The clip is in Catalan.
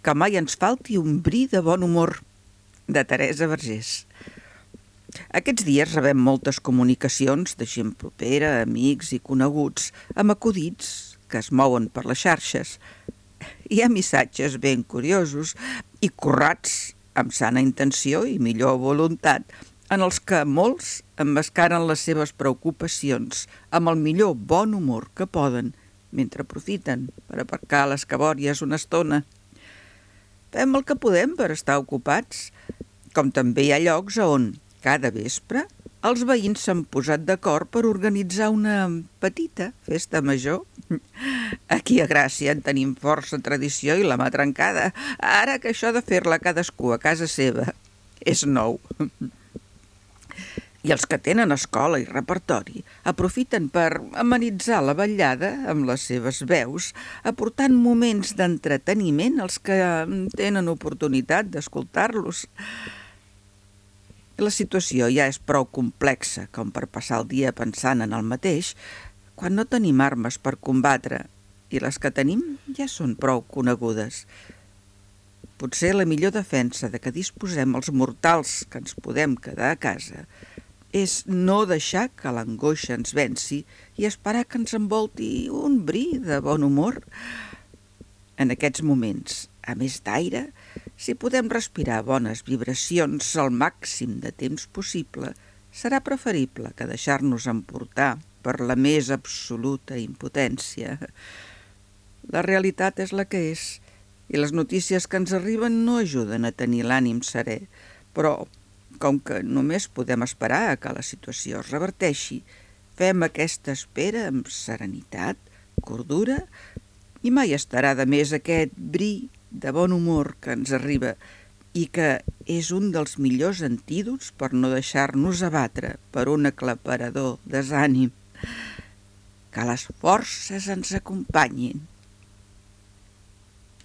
que mai ens falti un bri de bon humor, de Teresa Vergés. Aquests dies rebem moltes comunicacions de gent propera, amics i coneguts, amb acudits que es mouen per les xarxes. Hi ha missatges ben curiosos i currats amb sana intenció i millor voluntat, en els que molts emmascaren les seves preocupacions amb el millor bon humor que poden, mentre aprofiten per aparcar les cabòries una estona. Fem el que podem per estar ocupats, com també hi ha llocs on, cada vespre, els veïns s'han posat d'acord per organitzar una petita festa major. Aquí a Gràcia en tenim força tradició i la mà trencada, ara que això de fer-la cadascú a casa seva és nou. I els que tenen escola i repertori aprofiten per amenitzar la vetllada amb les seves veus, aportant moments d'entreteniment als que tenen oportunitat d'escoltar-los. La situació ja és prou complexa com per passar el dia pensant en el mateix, quan no tenim armes per combatre, i les que tenim ja són prou conegudes. Potser la millor defensa de que disposem els mortals que ens podem quedar a casa és no deixar que l'angoixa ens venci i esperar que ens envolti un bri de bon humor. En aquests moments, a més d'aire, si podem respirar bones vibracions al màxim de temps possible, serà preferible que deixar-nos emportar per la més absoluta impotència. La realitat és la que és, i les notícies que ens arriben no ajuden a tenir l'ànim serè, però, com que només podem esperar a que la situació es reverteixi, fem aquesta espera amb serenitat, cordura, i mai estarà de més aquest bri de bon humor que ens arriba i que és un dels millors antídots per no deixar-nos abatre per un aclaparador desànim. Que les forces ens acompanyin.